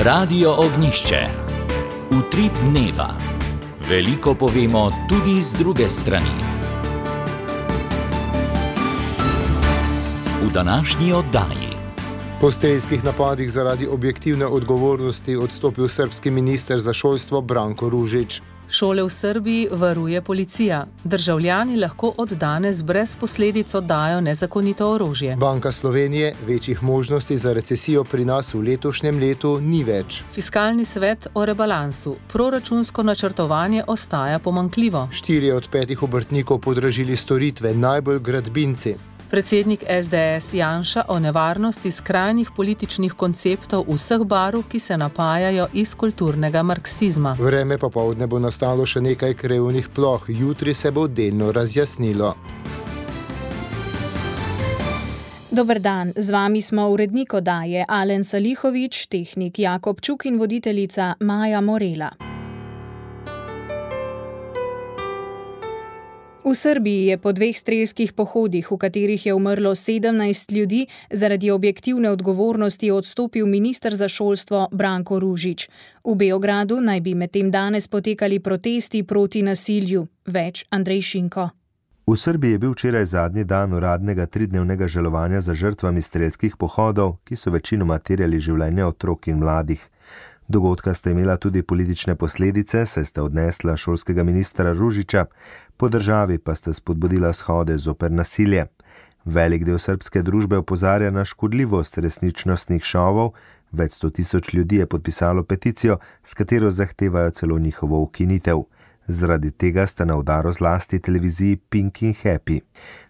Radio Ognišče. Utrip dneva. Veliko povemo tudi z druge strani. V današnji oddaji. Po strelskih napadih zaradi objektivne odgovornosti odstopil srbski minister za šolstvo Branko Ružić. Šole v Srbiji varuje policija. Državljani lahko od danes brez posledic oddajo nezakonito orožje. Banka Slovenije: večjih možnosti za recesijo pri nas v letošnjem letu ni več. Fiskalni svet o rebalansu. Proračunsko načrtovanje ostaja pomanjkljivo. 4 od 5 obrtnikov podražili storitve, najbolj gradbinci. Predsednik SDS Janša o nevarnosti skrajnih političnih konceptov vseh barv, ki se napajajo iz kulturnega marksizma. Vreme popoldne bo nastalo še nekaj krevnih ploh, jutri se bo delno razjasnilo. Dober dan, z vami smo urednik oddaje Alen Salihović, tehnik Jakob Čuk in voditeljica Maja Morela. V Srbiji je po 2 strelskih pohodih, v katerih je umrlo 17 ljudi, zaradi objektivne odgovornosti odstopil minister za šolstvo Branko Ružić. V Beogradu naj bi medtem danes potekali protesti proti nasilju. Več Andrej Šinko. V Srbiji je bil včeraj zadnji dan uradnega 3-dnevnega žalovanja za žrtvami strelskih pohodov, ki so večinoma terjali življenje otrok in mladih. Dogodka sta imela tudi politične posledice, saj sta odnesla šolskega ministra Ružića, po državi pa sta spodbudila shode zoper nasilje. Velik del srbske družbe opozarja na škodljivost resničnostnih šovov, več 100 000 ljudi je podpisalo peticijo, s katero zahtevajo celo njihovo ukinitev. Zaradi tega sta na udaru zlasti televiziji Pink in Happy.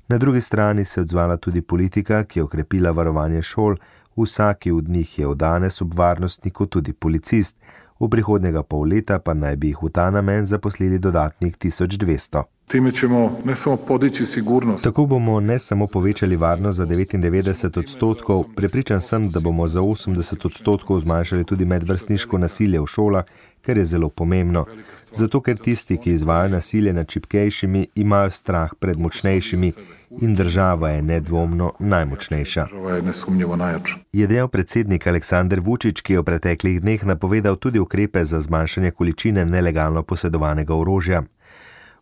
Na drugi strani se je odzvala tudi politika, ki je okrepila varovanje šol. Vsaki od njih je od danes ob varnostniku tudi policist, v prihodnjega pol leta pa naj bi jih v ta namen zaposlili dodatnih 1200. Time ćemo ne samo podići sigurnost. Tako bomo ne samo povečali varnost za 99%, prepričan sem, da bomo za 80% zmanjšali tudi medvrstniško nasilje v šolah, kar je zelo pomembno. Zato, ker tisti, ki izvajajo nasilje nad šibkejšimi, imajo strah pred močnejšimi in država je nedvomno najmočnejša. Je dejal predsednik Aleksandar Vučić, ki je v preteklih dneh napovedal tudi ukrepe za zmanjšanje količine nelegalno posedovanega orožja.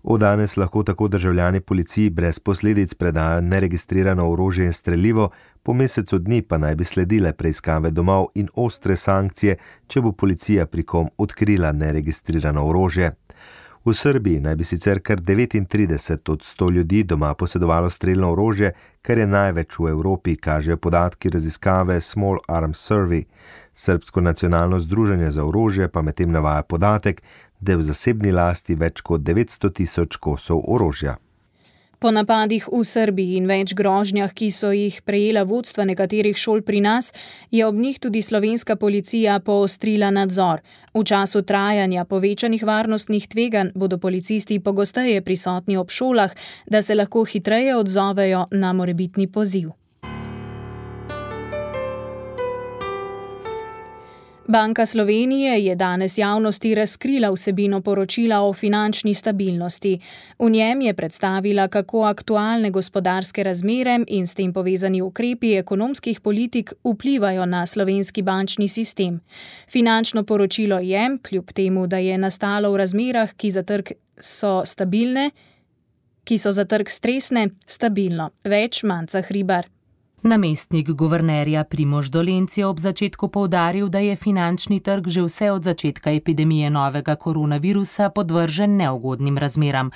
Od danes lahko tako državljani policiji brez posledic predajo neregistrirano orožje in strelivo, po mesecu dni pa naj bi sledile preiskave domov in ostre sankcije, če bo policija pri kom odkrila neregistrirano orožje. V Srbiji naj bi sicer kar 39 od 100 ljudi doma posedovalo strelno orožje, kar je največ v Evropi, kažejo podatki raziskave Small Arms Survey. Srbsko nacionalno združenje za orožje pa medtem navaja podatek, da je v zasebni lasti več kot 900 000 kosov orožja. Po napadih v Srbiji in več grožnjah, ki so jih prejela vodstva nekaterih šol pri nas, je ob njih tudi slovenska policija poostrila nadzor. V času trajanja povečanih varnostnih tveganj bodo policisti pogosteje prisotni ob šolah, da se lahko hitreje odzovejo na morebitni poziv. Banka Slovenije je danes javnosti razkrila vsebino poročila o finančni stabilnosti. V njem je predstavila, kako aktualne gospodarske razmere in s tem povezani ukrepi ekonomskih politik vplivajo na slovenski bančni sistem. Finančno poročilo je, kljub temu, da je nastalo v razmerah, ki za trg stresne, stabilno. Več Manca Hribar. Namestnik guvernerja Primož Dolenc je ob začetku poudaril, da je finančni trg že vse od začetka epidemije novega koronavirusa podvržen neugodnim razmeram.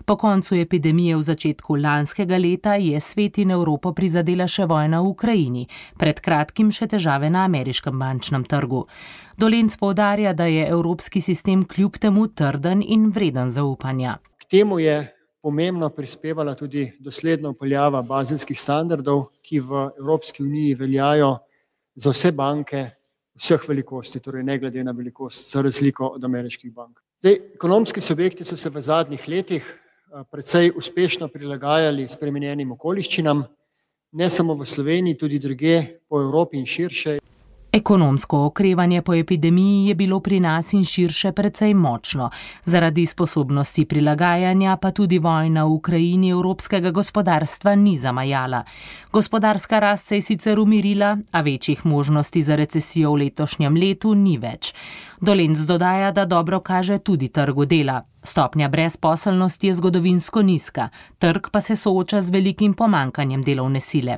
Po koncu epidemije v začetku lanskega leta je svet in Evropo prizadela še vojna v Ukrajini, pred kratkim še težave na ameriškem bančnem trgu. Dolenc poudarja, da je evropski sistem kljub temu trden in vreden zaupanja. K temu je pomembno prispevala tudi dosledna vpeljava bazelskih standardov, ki v Evropski uniji veljajo za vse banke vseh velikosti, torej ne glede na velikost, za razliko od ameriških bank. Ekonomski subjekti so se v zadnjih letih precej uspešno prilagajali spremenjenim okoliščinam, ne samo v Sloveniji, tudi drugje po Evropi in širše. Ekonomsko okrevanje po epidemiji je bilo pri nas in širše precej močno. Zaradi sposobnosti prilagajanja pa tudi vojna v Ukrajini evropskega gospodarstva ni zamajala. Gospodarska rast se je sicer umirila, a večjih možnosti za recesijo v letošnjem letu ni več. Dolenc dodaja, da dobro kaže tudi trgu dela. Stopnja brezposelnosti je zgodovinsko nizka, trg pa se sooča z velikim pomanjkanjem delovne sile.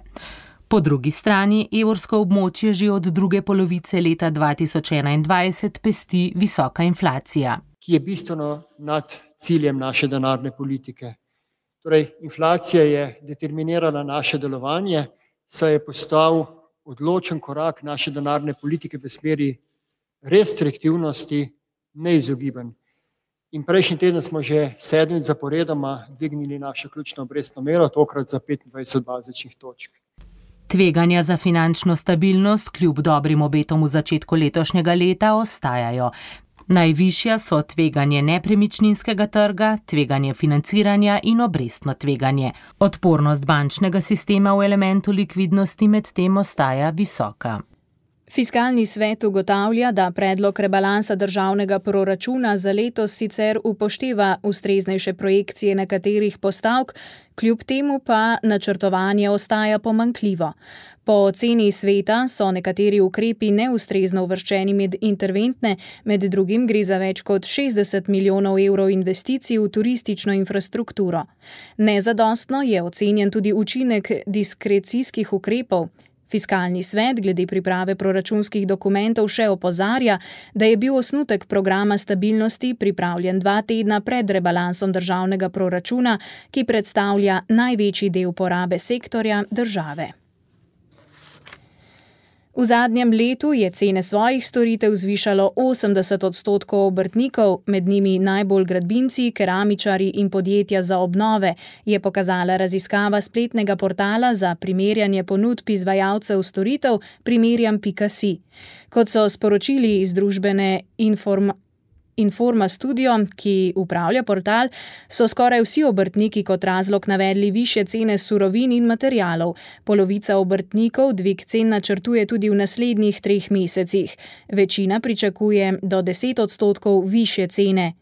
Po drugi strani evrsko območje že od druge polovice leta 2021 pesti visoka inflacija, ki je bistveno nad ciljem naše denarne politike. Torej, inflacija je determinirala naše delovanje, saj je postal odločen korak naše denarne politike v smeri restriktivnosti neizogiben. In prejšnji teden smo že 7 zaporedoma dvignili našo ključno obrestno mero, tokrat za 25 bazičnih točk. Tveganja za finančno stabilnost kljub dobrim obetom v začetku letošnjega leta ostajajo. Najvišja so tveganje nepremičninskega trga, tveganje financiranja in obrestno tveganje. Odpornost bančnega sistema v elementu likvidnosti medtem ostaja visoka. Fiskalni svet ugotavlja, da predlog rebalansa državnega proračuna za letos sicer upošteva ustreznejše projekcije nekaterih postavk, kljub temu pa načrtovanje ostaja pomanjkljivo. Po oceni sveta so nekateri ukrepi neustrezno uvrščeni med interventne, med drugim gre za več kot 60 milijonov evrov investicij v turistično infrastrukturo. Nezadostno je ocenjen tudi učinek diskrecijskih ukrepov. Fiskalni svet glede priprave proračunskih dokumentov še opozarja, da je bil osnutek programa stabilnosti pripravljen 2 tedna pred rebalansom državnega proračuna, ki predstavlja največji del porabe sektorja države. V zadnjem letu je cene svojih storitev zvišalo 80% obrtnikov, med njimi najbolj gradbinci, keramičarji in podjetja za obnove, je pokazala raziskava spletnega portala za primerjanje ponudb izvajalcev storitev primerjam.si. Kot so sporočili iz družbene Informa Studio, ki upravlja portal, so skoraj vsi obrtniki kot razlog navedli višje cene surovin in materialov. Polovica obrtnikov dvig cen načrtuje tudi v naslednjih 3 mesecih. Večina pričakuje do 10% višje cene.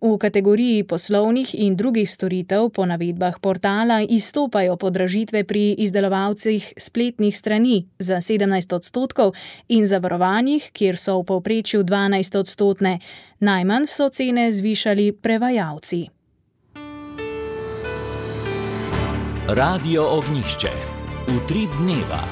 V kategoriji poslovnih in drugih storitev po navedbah portala izstopajo podražitve pri izdelovalcih spletnih strani za 17% in zavarovanjih, kjer so v povprečju 12%. Najmanj so cene zvišali prevajalci. Radio Ognjišče. Utrip dneva.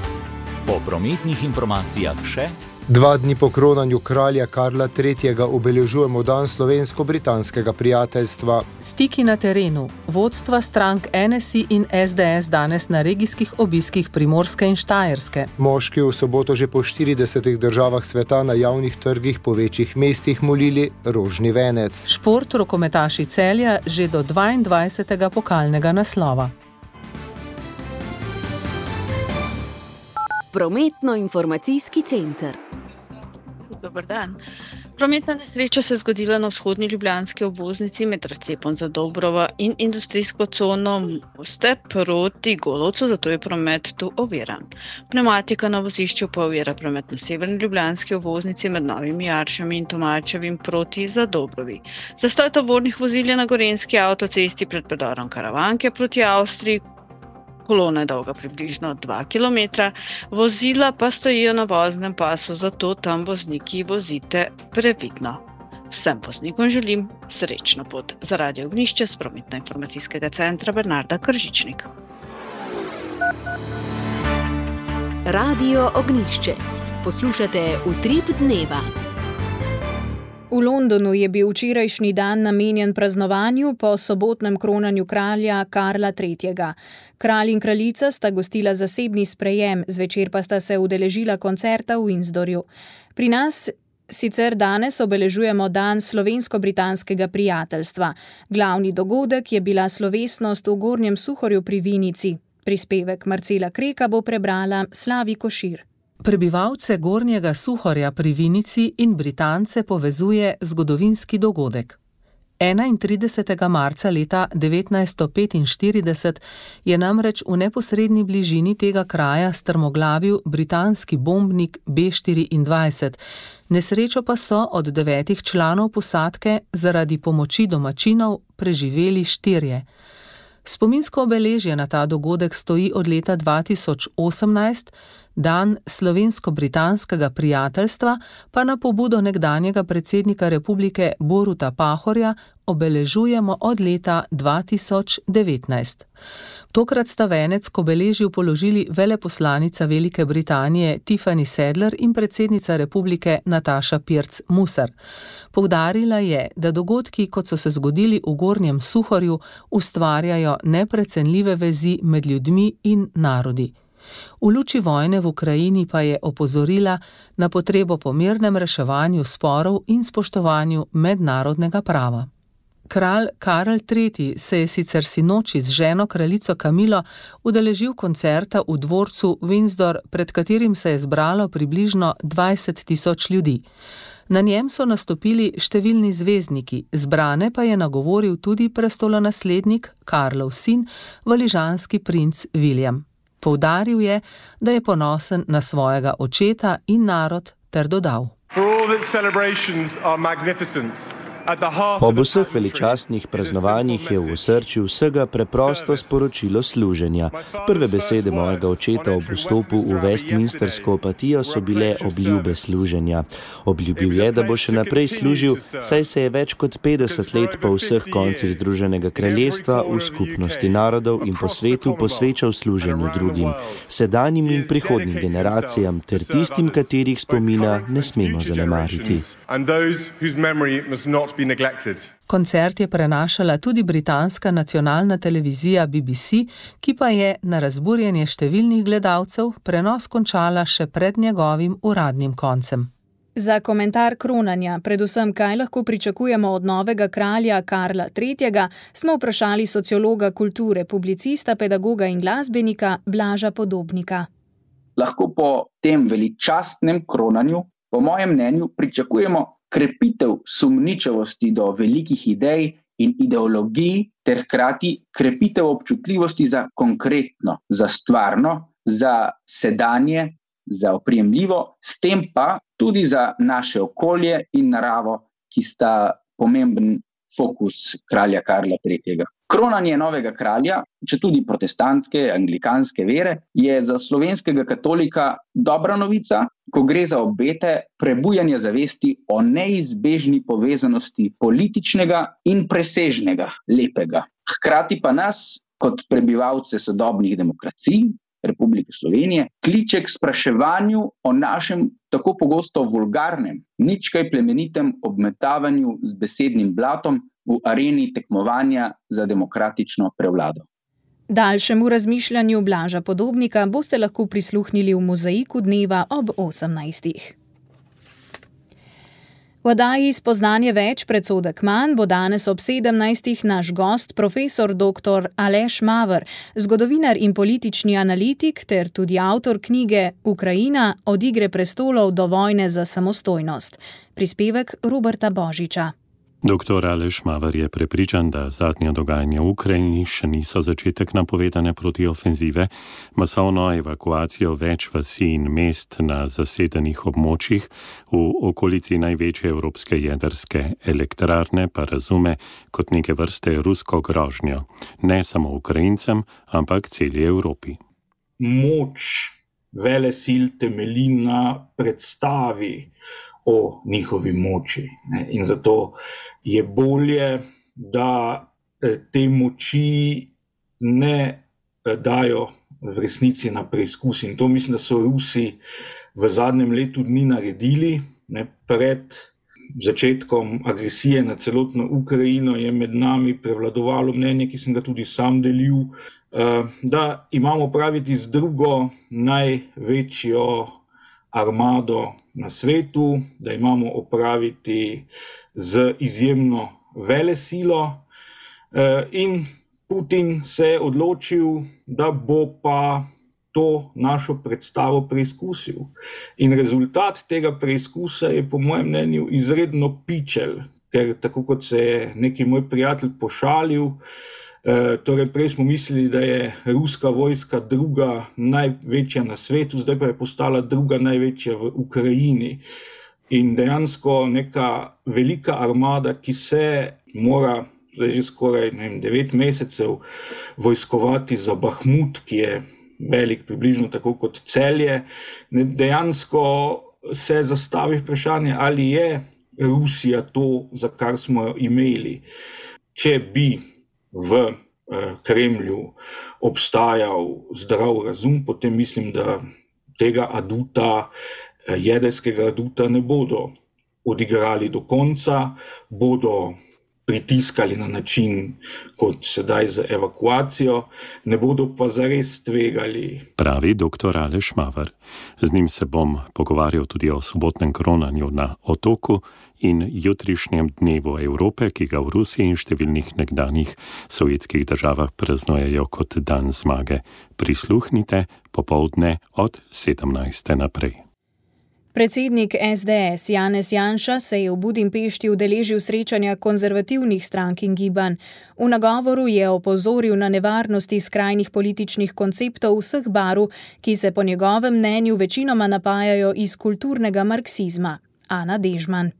Po prometnih informacijah še 2 dni po kronanju kralja Karla III. Obeležujemo dan slovensko-britanskega prijateljstva. Stiki na terenu. Vodstva strank NSI in SDS danes na regijskih obiskih Primorske in Štajerske. Moški v soboto že po 40 državah sveta na javnih trgih po večjih mestih molili rožni venec. Šport, rokometaši Celja že do 22. pokalnega naslova. Prometno-informacijski center. Dobar dan. Prometna nesreča se je zgodila na vzhodni ljubljanski obvoznici med razcepom Zadobrova in industrijsko cono Moste proti Golovcu, zato je promet tu oviran. Pneumatika na vozišču pa ovira promet na severni ljubljanski obvoznici med Novimi Jaršami in Tomačevim proti Zadobrovi. Zastoj tovornih vozil je na Gorenjski avtocesti pred predorom Karavanke proti Avstriji. Kolona je dolga približno 2 km, vozila pa stojijo na voznem pasu, zato tam vozniki vozite previdno. Vsem voznikom želim srečno pot. Za Radio Ognjišče s prometno-informacijskega centra Bernarda Kržičnik. Radio Ognjišče. Poslušate Utrip dneva. V Londonu je bil včerajšnji dan namenjen praznovanju po sobotnem kronanju kralja Karla III. Kralj in kraljica sta gostila zasebni sprejem, zvečer pa sta se udeležila koncerta v Windsorju. Pri nas sicer danes obeležujemo dan slovensko-britanskega prijateljstva. Glavni dogodek je bila slovesnost v Gornjem Suhorju pri Vinici. Prispevek Marcela Kreka bo prebrala Slavi Košir. Prebivalce Gornjega Suhorja pri Vinici in Britance povezuje zgodovinski dogodek. 31. marca leta 1945 je namreč v neposredni bližini tega kraja strmoglavil britanski bombnik B-24. Nesrečo pa so od 9 članov posadke zaradi pomoči domačinov preživeli 4. Spominsko obeležje na ta dogodek stoji od leta 2018, dan slovensko-britanskega prijateljstva pa na pobudo nekdanjega predsednika republike Boruta Pahorja obeležujemo od leta 2019. Tokrat sta venec k obeležju položili veleposlanica Velike Britanije Tiffany Sadler in predsednica republike Nataša Pirc Musar. Poudarila je, da dogodki, kot so se zgodili v Gornjem Suhorju, ustvarjajo neprecenljive vezi med ljudmi in narodi. V luči vojne v Ukrajini pa je opozorila na potrebo po mirnem reševanju sporov in spoštovanju mednarodnega prava. Kralj Karel III. Se je sicer sinoči z ženo kraljico Kamilo udeležil koncerta v dvorcu Windsor, pred katerim se je zbralo približno 20.000 ljudi. Na njem so nastopili številni zvezdniki, zbrane pa je nagovoril tudi prestolonaslednik, Karlov sin, valižanski princ William. Poudaril je, da je ponosen na svojega očeta in narod, ter dodal: Ob vseh veličastnih praznovanjih je v osrčju vsega preprosto sporočilo služenja. Prve besede mojega očeta ob vstopu v Westminstersko apatijo so bile obljube služenja. Obljubil je, da bo še naprej služil, saj se je več kot 50 let po vseh koncih Združenega kraljestva v skupnosti narodov in po svetu posvečal služenju drugim, sedanjim in prihodnjim generacijam ter tistim, katerih spomina ne smemo zanemariti. Koncert je prenašala tudi britanska nacionalna televizija BBC, ki pa je na razburjenje številnih gledalcev prenos končala še pred njegovim uradnim koncem. Za komentar kronanja, predvsem kaj lahko pričakujemo od novega kralja Karla III., smo vprašali sociologa kulture, publicista, pedagoga in glasbenika Blaža Podobnika. Lahko po tem veličastnem kronanju, po mojem mnenju, pričakujemo krepitev sumničavosti do velikih idej in ideologij ter hkrati krepitev občutljivosti za konkretno, za stvarno, za sedanje, za oprijemljivo, s tem pa tudi za naše okolje in naravo, ki sta pomemben fokus kralja Karla III. Kronanje novega kralja, četudi protestantske, anglikanske vere, je za slovenskega katolika dobra novica, ko gre za obete prebujanja zavesti o neizbežni povezanosti političnega in presežnega lepega. Hkrati pa nas, kot prebivalce sodobnih demokracij Republike Slovenije, kliče k spraševanju o našem tako pogosto vulgarnem, nič kaj plemenitem obmetavanju z besednim blatom v areni tekmovanja za demokratično prevlado. Daljšemu razmišljanju Blaža Podobnika boste lahko prisluhnili v Mozaiku dneva ob 18. V oddaji Spoznanje več, predsodek manj bo danes ob 17. naš gost profesor dr. Aleš Maver, zgodovinar in politični analitik ter tudi avtor knjige Ukrajina od igre prestolov do vojne za samostojnost. Prispevek Roberta Božiča. Dr. Aleš Maver je prepričan, da zadnja dogajanja v Ukrajini še niso začetek napovedane protiofenzive, masovno evakuacijo več vasi in mest na zasedenih območjih v okolici največje evropske jedrske elektrarne pa razume kot neke vrste rusko grožnjo, ne samo Ukrajincem, ampak celi Evropi. Moč velesil temelji na predstavi o njihovi moči. In zato je bolje, da te moči ne dajo v resnici na preizkus. In to mislim, da so Rusi v zadnjem letu dni naredili. Pred začetkom agresije na celotno Ukrajino je med nami prevladovalo mnenje, ki sem ga tudi sam delil, da imamo opraviti z drugo največjo armado na svetu, da imamo opraviti z izjemno velesilo in Putin se je odločil, da bo pa to našo predstavo preizkusil. In rezultat tega preizkusa je po mojem mnenju izredno pičel. ker tako kot se je neki moj prijatelj pošalil, torej prej smo mislili, da je ruska vojska druga največja na svetu, zdaj pa je postala druga največja v Ukrajini. In dejansko neka velika armada, ki se mora zdaj že skoraj 9 mesecev vojskovati za Bahmut, ki je velik približno tako kot Celje, dejansko se zastavi vprašanje, ali je Rusija to, za kar smo jo imeli. Če bi v Kremlju obstajal zdrav razum, potem mislim, da tega aduta, jedrskega aduta ne bodo odigrali do konca, bodo pritiskali na način, kot sedaj z evakuacijo, ne bodo pa zares tvegali. Pravi dr. Aleš Maver. Z njim se bom pogovarjal tudi o sobotnem kronanju na Otoku in jutrišnjem dnevu Evrope, ki ga v Rusiji in številnih nekdanjih sovjetskih državah praznujejo kot dan zmage. Prisluhnite popoldne od 17. naprej. Predsednik SDS Janez Janša se je v Budimpešti udeležil srečanja konzervativnih strank in gibanj. V nagovoru je opozoril na nevarnosti skrajnih političnih konceptov vseh barv, ki se po njegovem mnenju večinoma napajajo iz kulturnega marksizma. Ana Dežman.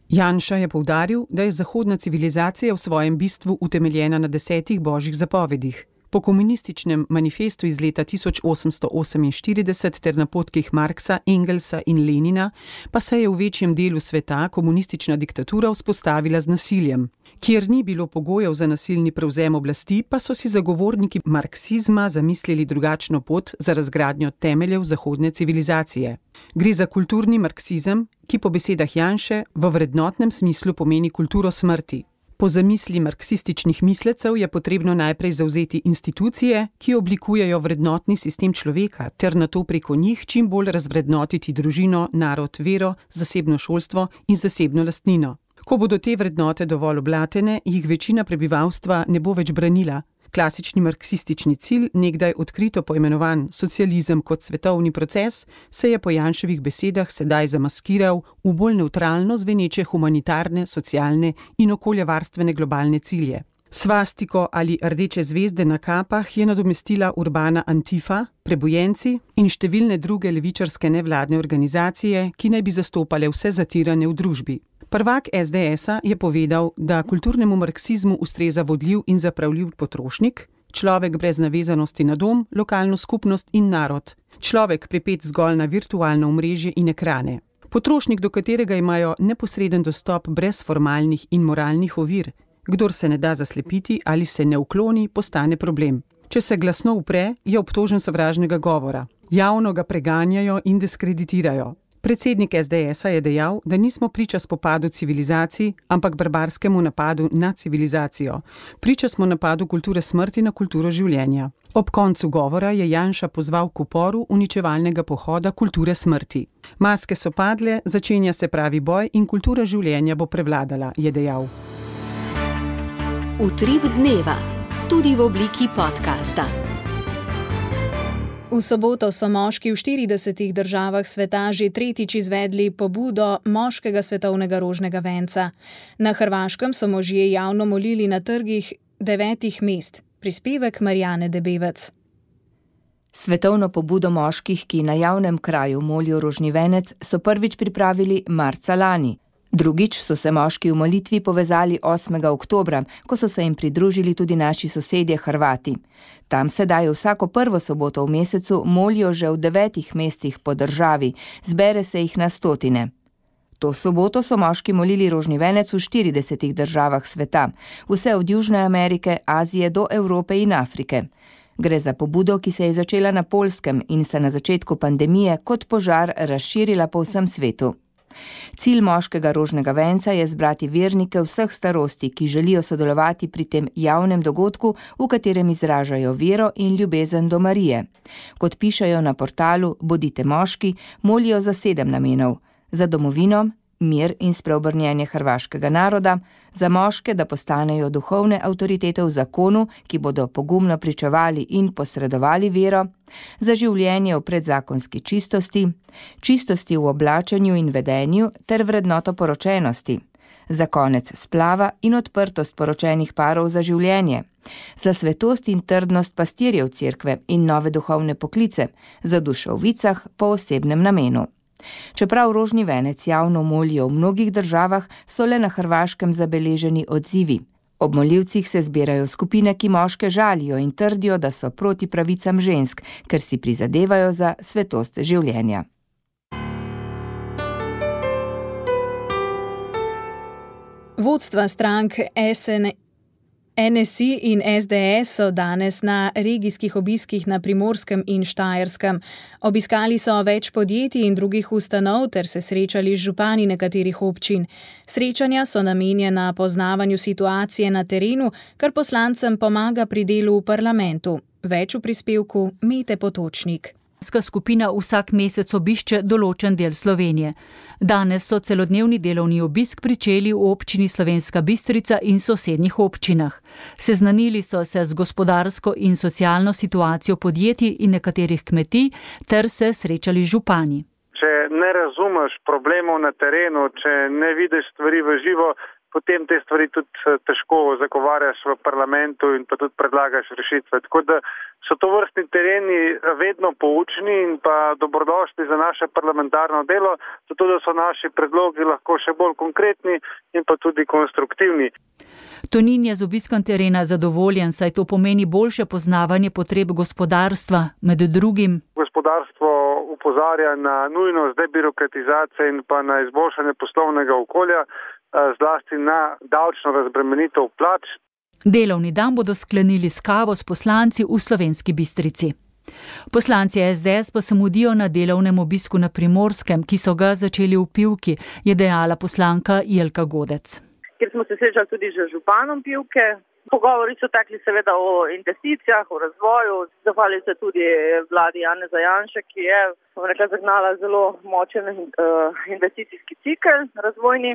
Janša je poudaril, da je zahodna civilizacija v svojem bistvu utemeljena na 10 božjih zapovedih. Po komunističnem manifestu iz leta 1848 ter napotkih Marksa, Engelsa in Lenina pa se je v večjem delu sveta komunistična diktatura vzpostavila z nasiljem. Kjer ni bilo pogojev za nasilni prevzem oblasti, pa so si zagovorniki marksizma zamislili drugačno pot za razgradnjo temeljev zahodne civilizacije. Gre za kulturni marksizem, ki po besedah Janše v vrednotnem smislu pomeni kulturo smrti. Po zamisli marksističnih mislecev je potrebno najprej zavzeti institucije, ki oblikujejo vrednotni sistem človeka, ter nato preko njih čim bolj razvrednotiti družino, narod, vero, zasebno šolstvo in zasebno lastnino. Ko bodo te vrednote dovolj oblatene, jih večina prebivalstva ne bo več branila. Klasični marksistični cilj, nekdaj odkrito poimenovan socializem kot svetovni proces, se je po Janševih besedah sedaj zamaskiral v bolj nevtralno zveneče humanitarne, socialne in okoljevarstvene globalne cilje. Svastiko ali rdeče zvezde na kapah je nadomestila urbana Antifa, prebujenci in številne druge levičarske nevladne organizacije, ki naj bi zastopale vse zatirane v družbi. Prvak SDS-a je povedal, da kulturnemu marksizmu ustreza vodljiv in zapravljiv potrošnik, človek brez navezanosti na dom, lokalno skupnost in narod, človek pripet zgolj na virtualno omrežje in ekrane. Potrošnik, do katerega imajo neposreden dostop brez formalnih in moralnih ovir. Kdor se ne da zaslepiti ali se ne ukloni, postane problem. Če se glasno upre, je obtožen sovražnega govora. Javno ga preganjajo in diskreditirajo. Predsednik SDS-a je dejal, da nismo priča spopadu civilizacij, ampak barbarskemu napadu na civilizacijo. Priča smo napadu kulture smrti na kulturo življenja. Ob koncu govora je Janša pozval k uporu uničevalnega pohoda kulture smrti. Maske so padle, začenja se pravi boj in kultura življenja bo prevladala, je dejal. Utrip dneva, tudi v obliki podcasta. V soboto so moški v 40 državah sveta že tretjič izvedli pobudo moškega svetovnega rožnega venca. Na Hrvaškem so možje javno molili na trgih 9 mest. Prispevek Marjane Debevec. Svetovno pobudo moških, ki na javnem kraju molijo rožni venec, so prvič pripravili marca lani. Drugič so se moški v molitvi povezali 8. oktobra, ko so se jim pridružili tudi naši sosedje Hrvati. Tam sedaj vsako prvo soboto v mesecu molijo že v 9 mestih po državi, zbere se jih na stotine. To soboto so moški molili rožni venec v 40 državah sveta, vse od Južne Amerike, Azije do Evrope in Afrike. Gre za pobudo, ki se je začela na Poljskem in se na začetku pandemije kot požar razširila po vsem svetu. Cilj moškega rožnega venca je zbrati vernike vseh starosti, ki želijo sodelovati pri tem javnem dogodku, v katerem izražajo vero in ljubezen do Marije. Kot pišejo na portalu Bodite moški, molijo za 7 namenov. Za domovino, mir in spreobrnjenje hrvaškega naroda, za moške, da postanejo duhovne avtoritete v zakonu, ki bodo pogumno pričevali in posredovali vero, za življenje v predzakonski čistosti, čistosti v oblačenju in vedenju ter vrednoto poročenosti, za konec splava in odprtost poročenih parov za življenje, za svetost in trdnost pastirjev cerkve in nove duhovne poklice, za dušo v vicah po osebnem namenu. Čeprav rožni venec javno molijo v mnogih državah, so le na Hrvaškem zabeleženi odzivi. Ob molilcih se zbirajo skupine, ki moške žalijo in trdijo, da so proti pravicam žensk, ker si prizadevajo za svetost življenja. Vodstva strank NSI in SDS so danes na regijskih obiskih na Primorskem in Štajerskem. Obiskali so več podjetij in drugih ustanov ter se srečali z župani nekaterih občin. Srečanja so namenjena poznavanju situacije na terenu, kar poslancem pomaga pri delu v parlamentu. Več v prispevku Mete Potočnik. Skupina vsak mesec obišče določen del Slovenije. Danes so celodnevni delovni obisk pričeli v občini Slovenska Bistrica in sosednjih občinah. Seznanili so se z gospodarsko in socialno situacijo podjetij in nekaterih kmetij ter se srečali z župani. Če ne razumeš problemov na terenu, če ne vidiš stvari v živo, potem te stvari tudi težko zagovarjaš v parlamentu in pa tudi predlagaš rešitve. Tako da so to vrstni tereni vedno poučni in pa dobrodošli za naše parlamentarno delo, zato da so naši predlogi lahko še bolj konkretni in pa tudi konstruktivni. Tonin je z obiskom terena zadovoljen, saj to pomeni boljše poznavanje potreb gospodarstva, med drugim. Gospodarstvo opozarja na nujnost debirokratizacije in pa na izboljšanje poslovnega okolja, zlasti na davčno razbremenitev plač. Delovni dan bodo sklenili s kavo s poslanci v Slovenski Bistrici. Poslanci SDS pa se mudijo na delovnem obisku na Primorskem, ki so ga začeli v Pivki, je dejala poslanka Jelka Godec. Kjer smo se srečali tudi z županom Pivke. Pogovori so tekli seveda o investicijah, o razvoju. Zahvalili se tudi vladi Janeza Janše, ki je zagnala zelo močen investicijski cikel razvojni.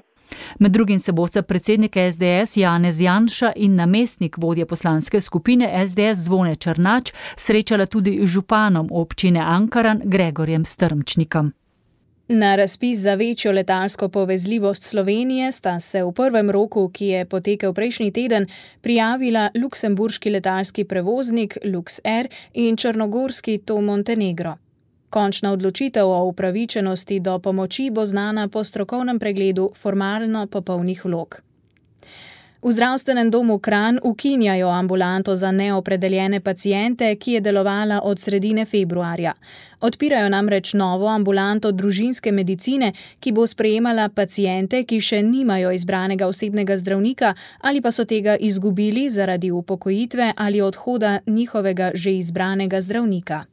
Med drugim se bosta predsednik SDS Janez Janša in namestnik vodje poslanske skupine SDS Zvone Črnač srečala tudi z županom občine Ankaran Gregorjem Strmčnikom. Na razpis za večjo letalsko povezljivost Slovenije sta se v prvem roku, ki je potekel prejšnji teden, prijavila luksemburški letalski prevoznik LuxAir in črnogorski TOV Montenegro. Končna odločitev o upravičenosti do pomoči bo znana po strokovnem pregledu formalno popolnih vlog. V zdravstvenem domu Kranj ukinjajo ambulanto za neopredeljene paciente, ki je delovala od sredine februarja. Odpirajo namreč novo ambulanto družinske medicine, ki bo sprejemala paciente, ki še nimajo izbranega osebnega zdravnika ali pa so tega izgubili zaradi upokojitve ali odhoda njihovega že izbranega zdravnika.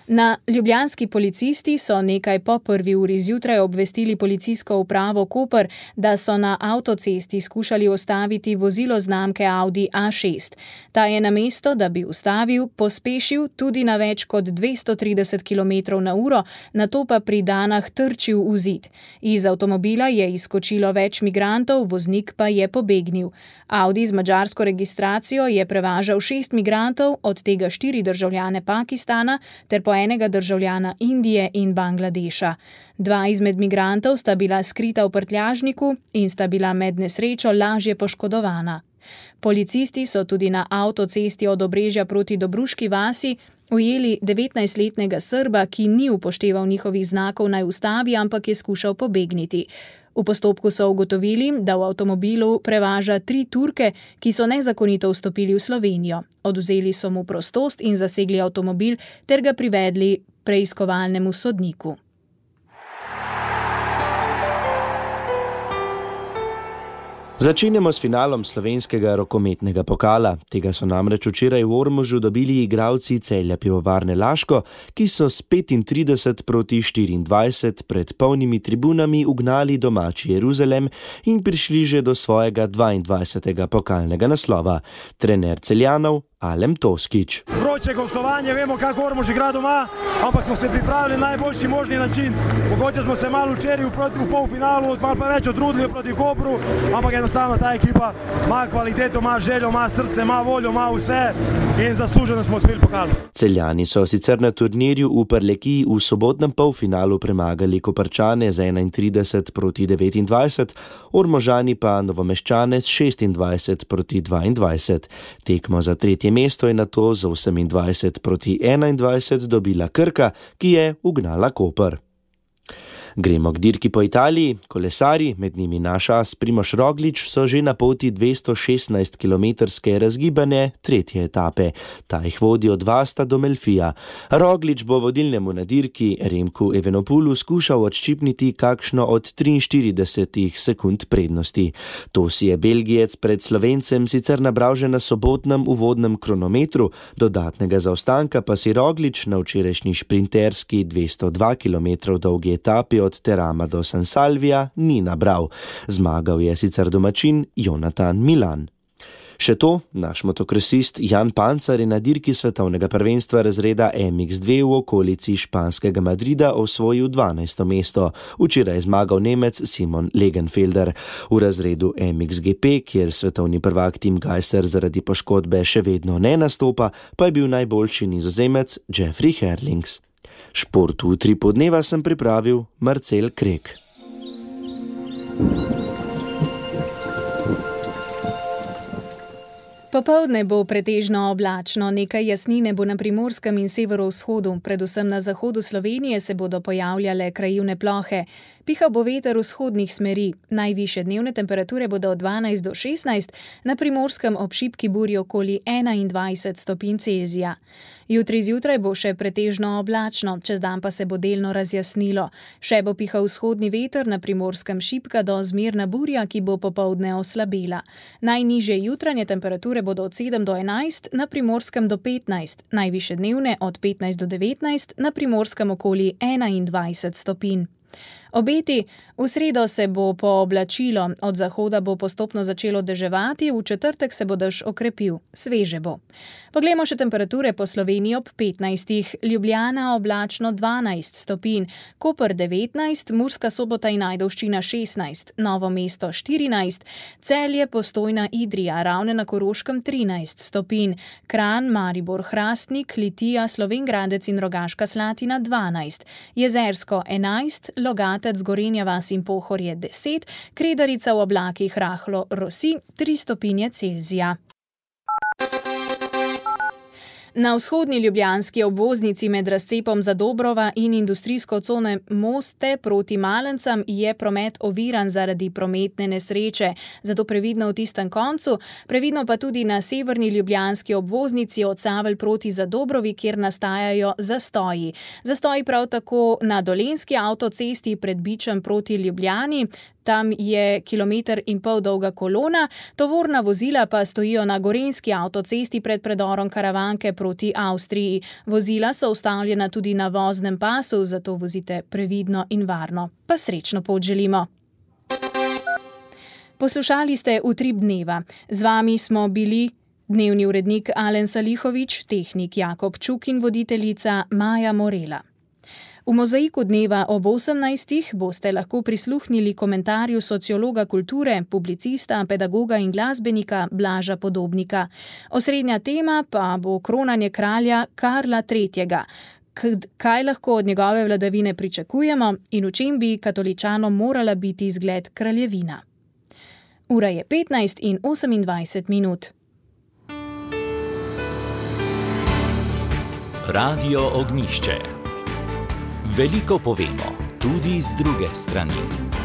Na ljubljanski policisti so nekaj po 1. uri zjutraj obvestili policijsko upravo Koper, da so na avtocesti skušali ustaviti vozilo znamke Audi A6. Ta je namesto, da bi ustavil, pospešil tudi na več kot 230 km/h, nato pa pri Danah trčil v zid. Iz avtomobila je izskočilo več migrantov, voznik pa je pobegnil. Audi z madžarsko registracijo je prevažal 6 migrantov, od tega 4 državljane Pakistana ter po enega državljana Indije in Bangladeša. 2 izmed migrantov sta bila skrita v prtljažniku in sta bila med nesrečo lažje poškodovana. Policisti so tudi na avtocesti od Obrežja proti Dobruški vasi ujeli 19-letnega Srba, ki ni upošteval njihovih znakov naj ustavi, ampak je skušal pobegniti. V postopku so ugotovili, da v avtomobilu prevaža 3 Turke, ki so nezakonito vstopili v Slovenijo. Odvzeli so mu prostost in zasegli avtomobil ter ga privedli preiskovalnemu sodniku. Začenjamo s finalom slovenskega rokometnega pokala. Tega so namreč včeraj v Ormožu dobili igralci Celja Pivovarne Laško, ki so s 35-24 pred polnimi tribunami ugnali domači Jeruzalem in prišli že do svojega 22. pokalnega naslova. Trener Celjanov Alem Toskič. Vroče gostovanje, vemo, kako Ormož igra doma, ampak smo se pripravili na najboljši možni način. Mogoče smo se malo včeraj v polfinalu, malo pa več odrudili proti Kopru, ampak enostavno ta ekipa ima kvaliteto, ima željo, ima srce, ima voljo, ima vse in zasluženo smo osvojili pokal. Celjani so sicer na turnirju v Prlekiji v sobotnem polfinalu premagali Koprčane z 31-29, Ormožani pa Novomeščane s 26-22. Tekmo za tretje mesto je nato z 28-21 dobila Krka, ki je ugnala Koper. Gremo k dirki po Italiji. Kolesarji, med njimi naš as Primož Roglič, so že na poti 216-kilometrske razgibane tretje etape. Ta jih vodi od Vasta do Melfija. Roglič bo vodilnemu na dirki Remku Evenepoelu skušal odščipniti kakšno od 43 sekund prednosti. To si je Belgijec pred Slovencem sicer nabral že na sobotnem uvodnem kronometru, dodatnega zaostanka pa si Roglič na včerajšnji šprinterski 202 km dolgi etapi od Terama do San Salvija ni nabral. Zmagal je sicer domačin Jonatan Milan. Še to, naš motokrosist Jan Pancar je na dirki svetovnega prvenstva razreda MX2 v okolici španskega Madrida osvojil 12. mesto. Včeraj je zmagal Nemec Simon Legenfelder. V razredu MXGP, kjer svetovni prvak Tim Gajser zaradi poškodbe še vedno ne nastopa, pa je bil najboljši Nizozemec Jeffrey Herlings. Šport v Utripu dneva sem pripravil Marcel Krek. Popoldne bo pretežno oblačno, nekaj jasnine bo na primorskem in severovzhodu, predvsem na zahodu Slovenije se bodo pojavljale krajevne plohe. Pihal bo veter vzhodnih smeri, najvišje dnevne temperature bodo od 12 do 16, na primorskem ob šibki burji okoli 21 stopinj Celzija. Jutri zjutraj bo še pretežno oblačno, čez dan pa se bo delno razjasnilo. Še bo pihal vzhodni veter, na primorskem šibka do zmerna burja, ki bo popoldne oslabela. Najnižje jutranje temperature bodo od 7 do 11, na primorskem do 15, najvišje dnevne od 15 do 19, na primorskem okoli 21 stopinj. Obeti: v sredo se bo pooblačilo, od zahoda bo postopno začelo deževati, v četrtek se bo dež okrepil, sveže bo. Poglejmo še temperature po Sloveniji ob 15. Ljubljana oblačno 12 stopinj, Koper 19, Murska Sobota in Ajdovščina 16, Novo mesto 14, Celje, Postojna, Idrija, Ravne na Koroškem 13 stopinj, Kranj, Maribor, Hrastnik, Litija, Slovenj Gradec in Rogaška Slatina 12, Jezersko 11, Logatec, Gorenja vas in Pohorje 10, Kredarica v oblakih rahlo rosi 3 stopinje Celzija. Na vzhodni ljubljanski obvoznici med razcepom Zadobrova in industrijsko cone Moste proti Malencam je promet oviran zaradi prometne nesreče, zato previdno v tistem koncu, previdno pa tudi na severni ljubljanski obvoznici od Savelj proti Zadobrovi, kjer nastajajo zastoji. Zastoji prav tako na Dolenjski avtocesti pred Bičem proti Ljubljani. Tam je 1,5 km dolga kolona, tovorna vozila pa stojijo na Gorenjski avtocesti pred predorom Karavanke proti Avstriji. Vozila so ustavljena tudi na voznem pasu, zato vozite previdno in varno. Pa srečno pot želimo. Poslušali ste Utrip dneva. Z vami smo bili dnevni urednik Alen Salihovič, tehnik Jakob Čuk in voditeljica Maja Morela. V Mozaiku dneva ob 18. boste lahko prisluhnili komentarju sociologa kulture, publicista, pedagoga in glasbenika Blaža Podobnika. Osrednja tema pa bo kronanje kralja Karla III. Kaj lahko od njegove vladavine pričakujemo in v čem bi katoličanom morala biti zgled kraljevina. Ura je 15:28. Radio Ognjišče. Veliko povemo, tudi z druge strani.